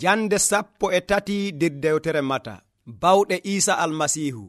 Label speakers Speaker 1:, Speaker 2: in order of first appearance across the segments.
Speaker 1: Jande 13 nder dewtere Mata. Bawɗe Isa Almasiihu.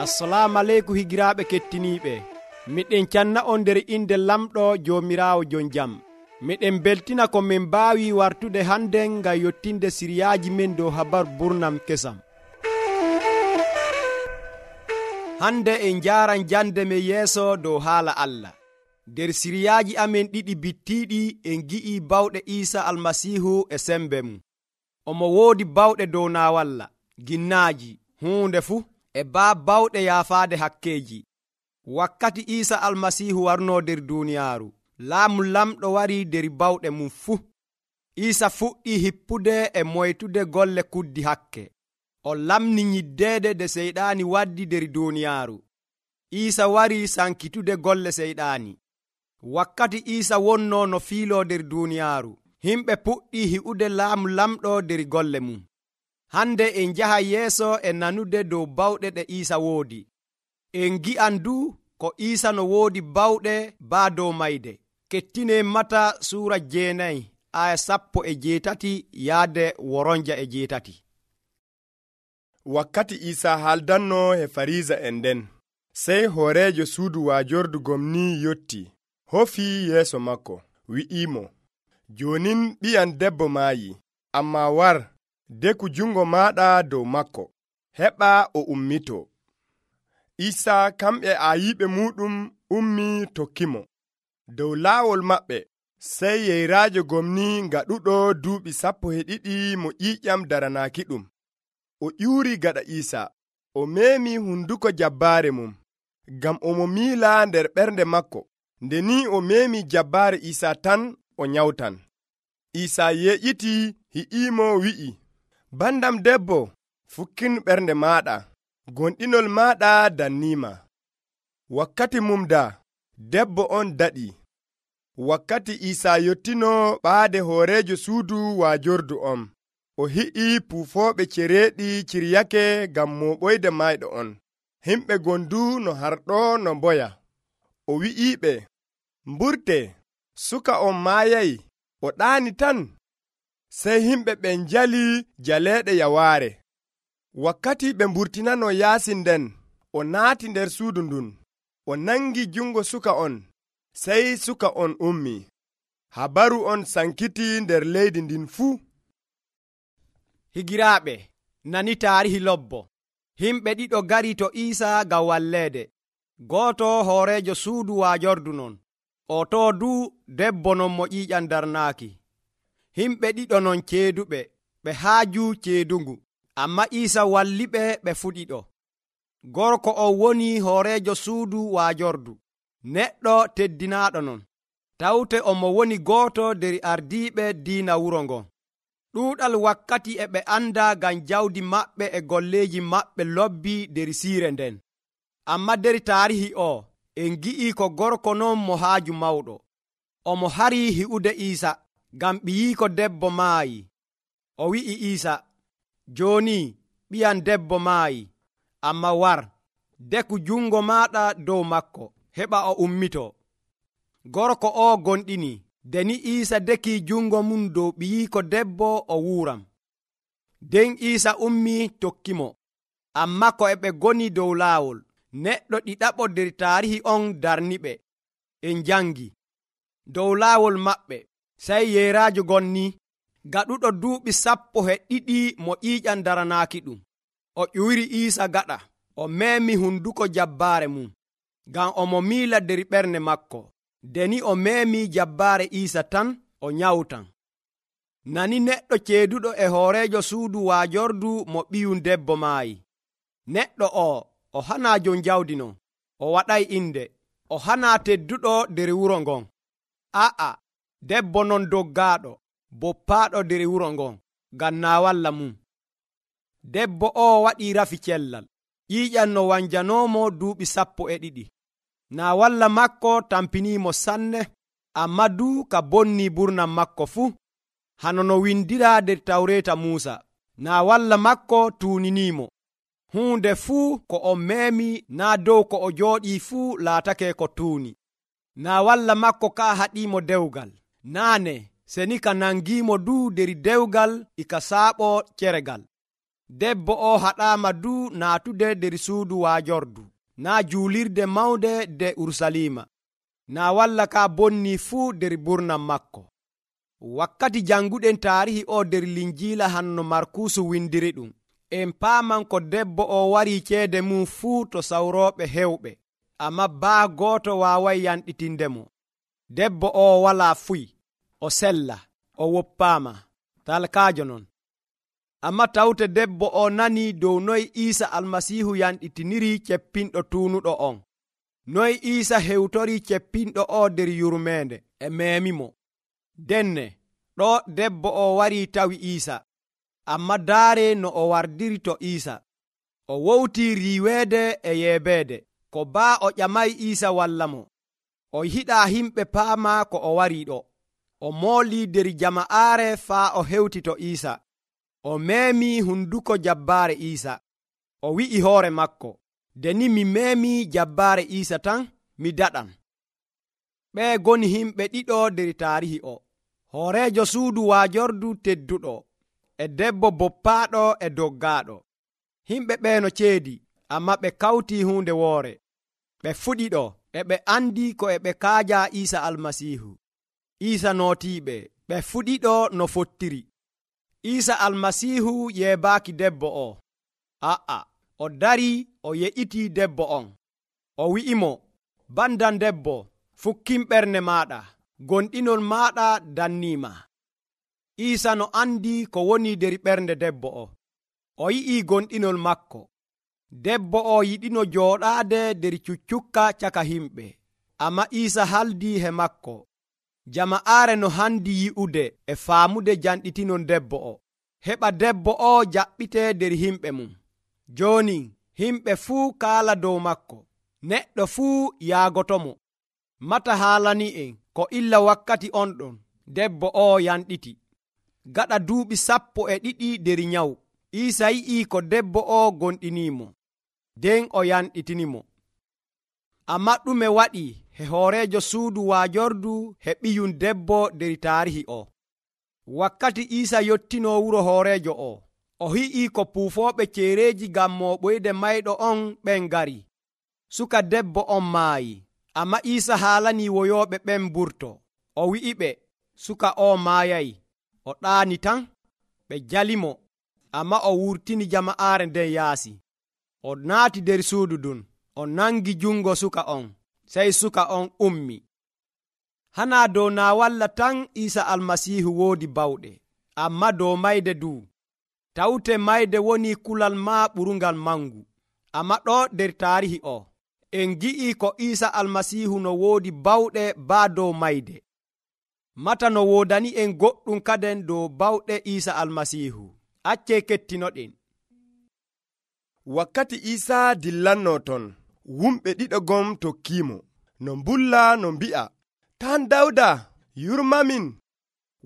Speaker 1: Assalamu aleykum higiraaɓe kettiniiɓe. Miɗen canna on nder inde lamɗo Joomiraawo jon jam. Miɗen beltina ko min mbaawi wartude hande ngam yottinde siriyaaji men dow habaru burnam kesam. Hande en njaaran jande men yeeso dow haala Allah. Nder siriyaaji amen ɗiɗi bittiiɗi en gi'i bawɗe Isa Almasiihu e sembe mum. Omo woodi bawɗe dow naawalla, ginnaaji, huunde fuu, e bawɗe yaafaade hakkeeji. Wakkati Isa Almasiihu warnoo nder duuniyaaru, laamu lamɗo wari nder bawɗe mum fuu. Isa fuɗɗii hippude e moytude golle kuddi hakke. O lamni nyiddeede de seyɗaani waddi nder duuniyaaru. Isa wari sankitude golle seyɗaani. Wakkati Isa wonnoo no fiiloo nder duuniyaaru, himɓe puɗɗii hi'ude laamu lamɗo nder golle mum. Hande en njaha yeeso e nanude dow bawɗe ɗe Isa woodi. En gi'an du ko Isa no woodi bawɗe baa dow mayde. Kettine Mata suura 9 aya 18 yaade 8.
Speaker 2: Wakkati Isa haaldanno e Fariisa en nden, sey hooreejo suudu waajordu gomni yotti, hofii yeeso makko, wi'imo, "Joonin ɓi'am debbo maayi, ammaa war, deku jungo maaɗa dow makko, heɓa o ummitoo." Isa kamɓe aayiɓe muuɗum ummi tokkimo. Dow laawol maɓɓe, sey yeyraajo gomni ngaɗuɗo duuɓi 12 mo ƴiiƴam daranaakiɗum. O ƴuuri gaɗa Isa, o meemi hunduko jabbaare mum, ngam omo miila nder ɓernde makko. Nde ni o meemi jabbaare Isa tan o nyawtan. Isa yeƴiti hi'imo wi'i, "Bandam debbo, fukkin ɓernde maaɗa, gonɗinol maaɗa danniima." Wakkati mum daa, debbo on daɗi. Wakkati Isa yottino ɓaade hooreejo suudu waajordu on, o hi'i puufooɓe cereeɗi ciryake ngam mooɓoyde mayɗo on. Himɓe gondu no harɗo no mboya. O wi'iɓe, "Mburte, suka on maayay, o ɗaani tan." Sey himɓe ɓen njali jaleeɗe yawaare. Wakkati ɓe mburtinano yaasi nden, o naati nder suudu ndun, o nangi jungo suka on, sey suka on ummi. Habaru on sankiti nder leydi ndin fuu.
Speaker 1: Higiraaɓe, nani taarihi lobbo. Himɓe ɗiɗo gari to Isa ngam walleede. Gooto hooreejo suudu waajordu non, o to du debbo non mo ƴiiƴam darnaaki. Himɓe ɗiɗo non ceeduɓe, ɓe haaju ceedungu, amma Isa walliɓe ɓe fu ɗiɗo. Gorko on woni hooreejo suudu waajordu, neɗɗo teddinaaɗo non, tawte omo woni gooto nder ardiiɓe diina wuro ngon. Ɗuuɗal wakkati e ɓe anda ngam jawdi maɓɓe e golleeji maɓɓe lobbi nder siire nden. Amma nder taarihi o, en gi'i ko gorko non mo haaju mawɗo. Omo hari hi'ude Isa, ngam ɓiyiiko debbo maayi. O wi'i Isa, "Jooni ɓiyam debbo maayi, amma war, deku jungo maaɗa dow makko, heɓa o ummitoo." Gorko o gonɗini. Deni Isa deki jungo mum dow ɓiyiiko debbo, o wuuram. Den Isa ummi tokkimo. Amma ko e ɓe goni dow laawol, neɗɗo ɗiɗaɓo nder taarihi on darniɓe. En jangi dow laawol maɓɓe, sey yeyraajo gonni, gaɗuɗo duuɓi 12 mo ƴiiƴam daranaaki ɗum. O ƴuyri Isa gaɗa, o meemi hunduko jabbaare mum, ngam omo miila nder ɓernde makko. Deni o meemi jabbaare Isa tan, o nyawtan. Nani neɗɗo ceeduɗo e hooreejo suudu waajordu mo ɓiyum debbo maayi. Neɗɗo o hanaa jon jawdi non, o waɗay inde, o hanaa tedduɗo nder wuro ngon. Aa, debbo non doggaaɗo, boppaaɗo nder wuro ngon, ngam naawalla mum. Debbo o waɗii rafi cellal, ƴiiƴam no wanjanoomo duuɓi 12. Naawalla makko tampiniimo sanne, amma du ka bonnii burnam makko fuu. Hano no windiraa nder Tawreeta Muusa, naawalla makko tuuniniimo. Huunde fuu ko o meemi naa dow ko o jooɗii fuu laatake ko tuuni. naa walla makko ka haɗiimo dewgal, naane seni ka nangiimo du der dewgal ika saaɓo ceregal. Debbo o haɗaama du naatude der suudu waajordu, naa juulirde mawnde de Urusalima, naa walla ka bonni fuu der burnam makko. Wakkati janguɗen taarihi o der linjiila hanno Markuusu windiri ɗum, en paaman ko debbo o warii ceede mum fuu to sawrooɓe hewɓe, ammaa baa gooto waaway yanɗitindemo. Debbo o walaa fuy, o sella, o woppaama, talkaajo non. Ammaa tawte debbo o nanii dow noy Iisa Almasiihu yanɗitiniri ceppinɗo tuunuɗo on, noy Iisa hewtorii ceppinɗo o der yurmeende e meemimo. Denne ɗo debbo o warii tawi Iisa, ammaa daare no o wardiri to Iisa. O wowtii riiweede e yeebeede, ko baa o ƴamay Iisa walla mo. O yiɗaa himɓe paama ko o warii ɗo. O moolii der jama'aare faa o hewti to Iisa. O meemii hunduko jabbaare Iisa. O wi'i hoore makko, deni mi meemii jabbaare Iisa tan, mi daɗan. Ɓee goni himɓe ɗiɗo der taarihi o, hooreejo suudu waajordu tedduɗo, e debbo boppaaɗo e doggaaɗo. Himɓe ɓeeno ceedi, ammaa ɓe kawtii huunde woore. Ɓe fuɗiɗo, e ɓe andi ko e ɓe kaaja Iisa Almasiihu. Iisa nootiiɓe, ɓe fuɗiɗo no fottiri. Iisa Almasiihu yeebaaki debbo o. O darii o yeƴitii debbo on. O wi'imo, bandan debbo, fukkin ɓernde maaɗa, gonɗinol maaɗa danniima. Iisa no andi ko woni der ɓernde debbo o. O yi'ii gonɗinol makko. Debbo o yiɗino jooɗaade der cuccukka caka himɓe, ammaa Iisa haldii he makko. Jama'aare no handi yi'ude e faamude janɗitinon debbo o, heɓa debbo o jaɓɓitee der himɓe mum. Jooni himɓe fuu kaala dow makko, neɗɗo fuu yaagotomo. Mata haalani'en ko illa wakkati on ɗon debbo o yanɗiti. Gaɗa duuɓi 12 der nyawu, Iisa yi'ii ko debbo o gonɗiniimo, nden o yanɗitinimo. Ammaa ɗume waɗi he hooreejo suudu waajordu he ɓiyum debbo der taarihi o? Wakkati Iisa yottinoo wuro hooreejo o hi'ii ko puufooɓe ceereeji ngam mooɓoyde mayɗo on ɓen ngari. Suka debbo on maayi, ammaa Iisa haalanii woyooɓe ɓen mburto. O wi'iɓe, suka o maayay, o ɗaani tan. Ɓe jalimo, ammaa o wurtini jama'aare nden yaasi. O naati der suudu ɗum, o nangi jungo suka on, sey suka on ummi. Hanaa dow naa walla tan Iisa Almasiihu woodi bawɗe, ammaa dow mayde duu. Tawte mayde woni kulal maa ɓurungal mangu. Ammaa ɗo der taarihi o, en gi'ii ko Iisa Almasiihu no woodi bawɗe baa dow mayde. Mata no woodani en goɗɗum kaden dow bawɗe Iisa Almasiihu. Accee kettinoɗen.
Speaker 2: Wakkati Iisa dillanno ton, wumɓe ɗiɗo gom tokkiimo, no mbulla no mbi'a, tan Dawda, yurmamin.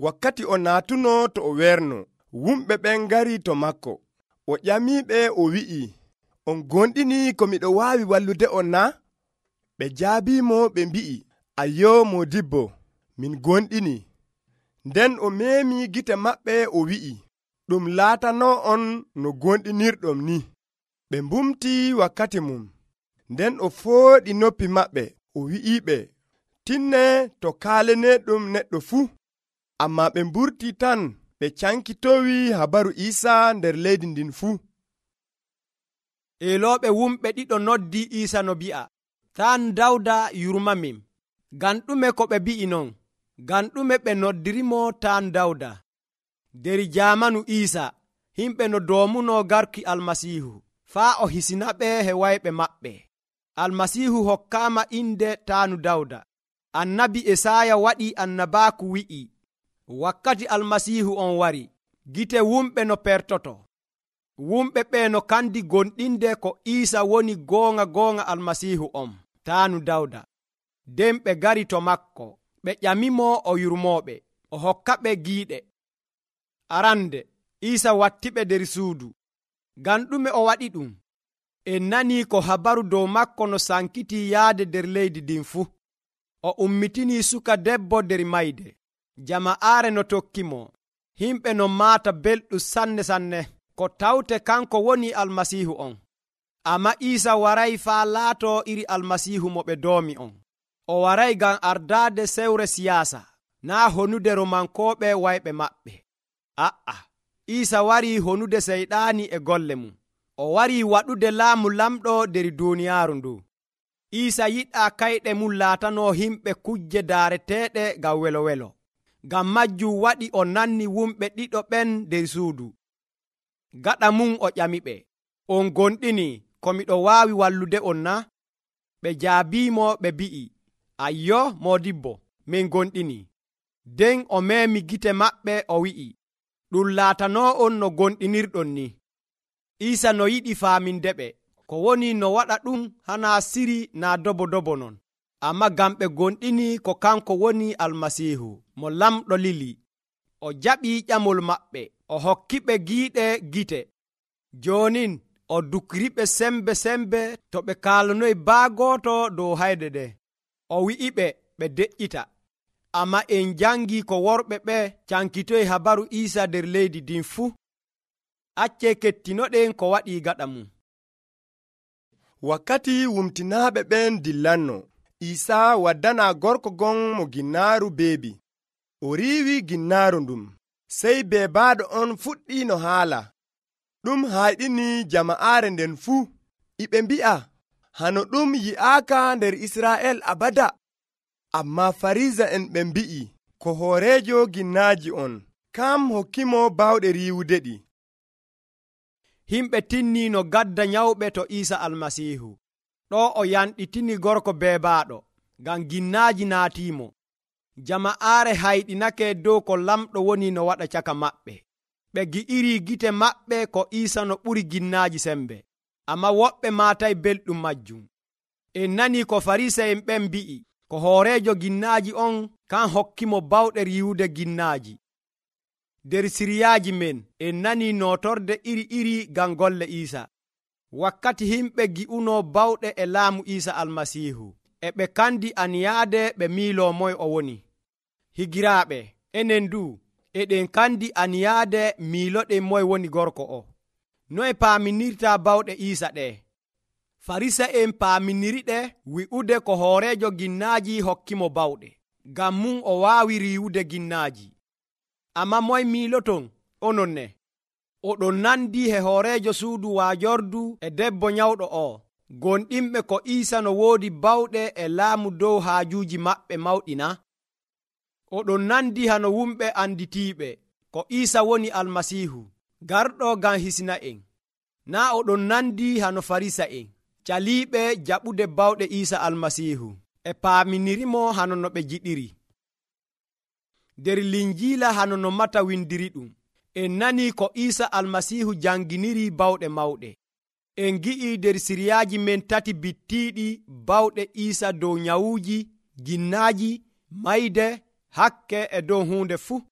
Speaker 2: Wakkati o naatuno to o werno, wumɓe ɓen ngari to makko. O ƴamiɓe o wi'i, on gonɗini ko miɗo waawi wallude on na? Ɓe jaabiimo ɓe mbi'i, ayyo modibbo, min gonɗini. Nden o meemi gite maɓɓe o wi'i, ɗum laatano on no gonɗinirɗom ni. Ɓe mbumti wakkati mum. Nden o fooɗi noppi maɓɓe o wi'iɓe, tinne to kaaleneɗum neɗɗo fuu. Ammaa ɓe mburti tan ɓe cankitowi habaru Iisa nder leydi ndin fuu.
Speaker 1: Eelooɓe wumɓe ɗiɗo noddi Iisa no bi'a, tan Dawda yurmamin. Ngam ɗume ko ɓe bi'i non? Ngam ɗume ɓe noddirimo tan Dawda? Der jaamanu Iisa, himɓe no doomuno garki Almasiihu, faa o hisinaɓe he wayɓe maɓɓe. Almasiihu hokkaama inde taanu Dawda. Annabi Esaaya waɗi annabaaku wi'i, wakkati Almasiihu on wari, gite wumɓe no pertoto. Wumɓe ɓe no kandi gonɗinde ko Iisa woni goonga Almasiihu on, taanu Dawda. Nden ɓe gari to makko, ɓe ƴamimo o yurmooɓe, o hokkaɓe giiɗe. Arande, Iisa wattiɓe der suudu. Ngam ɗume o waɗi ɗum? En nanii ko habaru dow makko no sankiti yaade der leydi ndin fuu. o ummitini suka debbo nder mayde. Jama'aare no tokkimo, himɓe no maata belɗum sanne ko tawte kanko woni almasiihu on. Amma Iisa waray faa laato iri almasiihu mo ɓe doomi on. O waray ngam ardaade sewre siyaasa, naa honude romankooɓe wayɓe maɓɓe. Iisa warii honude seyɗaani e golle mum. O warii waɗude laamu lamɗo nder duuniyaaru ndu. Iisa yiɗaa kayɗe mum laatanoo himɓe kujje daareteeɗe ngam welo. Ngam majjum waɗi o nanni wumɓe ɗiɗo ɓen nder suudu. Gaɗa mum o ƴamiɓe, on gonɗini ko miɗo waawi wallude on na? Ɓe jaabiimo ɓe mbi'i, ayyo moodibbo, min gonɗini. Nden o meemi gite maɓɓe o wi'i, ɗum laatanoo on no gonɗinirɗon ni. Iisa no yiɗi faamindeɓe ko woni no waɗa ɗum hana siri naa dobo non, amma ngam ɓe gonɗini ko kanko woni almasiihu mo lamɗo lili. O jaɓii ƴamol maɓɓe, o hokkiɓe giiɗe gite. Jonin o dukriɓe sembe to ɓe kaalanoyi baagooto dow hayde ɗe. O wi'iɓe ɓe deƴƴita. Amma en jangii ko worɓe ɓe cankitoyi habaru Iisa nder leydi ndin fuu. Accee kettinoɗen ko waɗii gaɗa mum.
Speaker 2: Wakkati wumtinaaɓe ɓen dillanno, Iisa waddanaa gorko gon mo ginnaaru beebi. O riiwi ginnaaru ndum, sey beebaaɗo on fuɗɗi no haala. Ɗum hayɗini jama'aare nden fuu. Iɓe mbi'a, hano ɗum yi'aaka nder Israa'el abada. Amma Farisa'en ɓe mbi'i, ko hooreejo ginnaaji on, kam hokkimo bawɗe riiwudeɗi.
Speaker 1: Himɓe tinni no gadda nyawɓe to Iisa almasiihu. Ɗo o yanɗitini gorko beebaaɗo, ngam ginnaaji naatiimo. Jama'aare hayɗinake dow ko lamɗo woni no waɗa caka maɓɓe. Ɓe gi'iri gite maɓɓe ko Iisa no ɓuri ginnaaji sembe. Amma woɓɓe maatay belɗum majjum. En nani ko Farisa'en ɓen mbi'i, ko hooreejo ginnaaji on kan hokkimo bawɗe riiwude ginnaaji. Nder siriyaaji men en nani nootorde iri ngam golle Iisa. Wakkati himɓe gi'uno bawɗe e laamu Iisa almasiihu, e ɓe kandi aniyaade ɓe miiloo moy o woni. Higiraaɓe, enen du eɗen kandi aniyaade miiloɗen moy woni gorko o. Noye paaminirtaa bawɗe Iisa ɗe? Farisa'en paaminiriɗe wi'ude ko hooreejo ginnaaji hokkimo bawɗe, ngam mum o waawi riiwude ginnaaji. Amma moy miiloton onon ne? Oɗon nandi he hooreejo suudu waajordu e debbo nyawɗo o, gonɗinɓe ko Iisa no woodi bawɗe e laamu dow haajuuji maɓɓe mawɗi na? Oɗon nandi hano wumɓe anditiiɓe ko Iisa woni almasiihu, garɗo ngam hisna'en. Naa oɗon nandi hano Farisa'en, caliiɓe jaɓude bawɗe Iisa almasiihu, e paaminirimo hano no ɓe jiɗiri. Nder Linjiila hano no Mata windiri ɗum, en nani ko Iisa almasiihu janginiri bawɗe mawɗe. En gi'i nder siriyaaji men tati bittiiɗi bawɗe Iisa dow nyawuuji, ginnaaji, mayde, hakke e dow huunde fuu.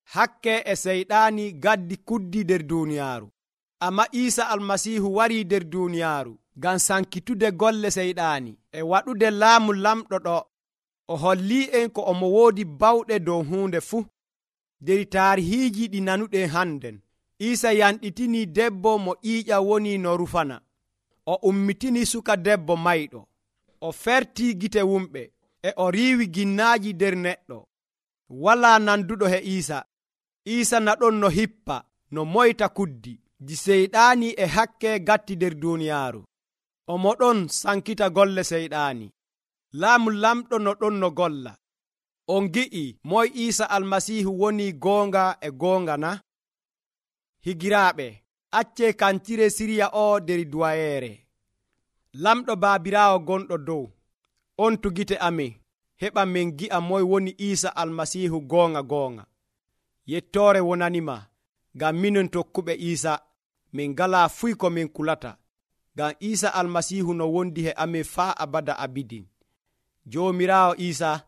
Speaker 1: Hakke e seyɗaani gaddi kuddi nder duuniyaaru. Amma Iisa almasiihu warii nder duuniyaaru ngam sankitude golle seyɗaani e waɗude laamu lamɗo ɗo. O holli'en ko omo woodi bawɗe dow huunde fuu. Nder taarihiiji ɗi nanuɗen hannden, Iisa yanɗitini debbo mo ƴiiƴam woni no rufana. O ummitini suka debbo mayɗo. O fertii gite wumɓe, e o riiwi ginnaaji nder neɗɗo. Walaa nanduɗo he Iisa. Iisa naɗon no hippa, no moyta kuddi, di seyɗaani e hakke gatti nder duuniyaaru. Omo ɗon sankita golle seyɗaani. Laamu lamɗo no ɗon no golla. On gi'i moy Iisa almasiihu woni goonga e goonga na? Higiraaɓe, accee kantire siriya o nder duwayeere. Lamɗo baabiraawo gonɗo dow, on tugite amin, heɓa min gi'a moy woni Iisa almasiihu goonga. Yettoore wonanima, ngam minin tokkuɓe Iisa, min ngalaa fuy ko min kulata, ngam Iisa almasiihu no wondi he amin faa abada abidin. Joomiraawo Iisa,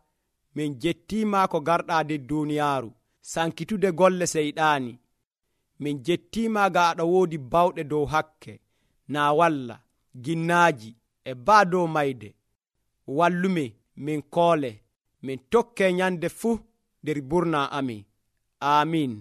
Speaker 1: min jettiima ko garɗaa nder duuniyaaru, sankitude golle seyɗaani. Min jettiima ga aɗa woodi bawɗe dow hakke, naa walla, ginnaaji, e baa dow mayde. Wallume, min koole min tokke nyande fuu nder burna amin. Amin.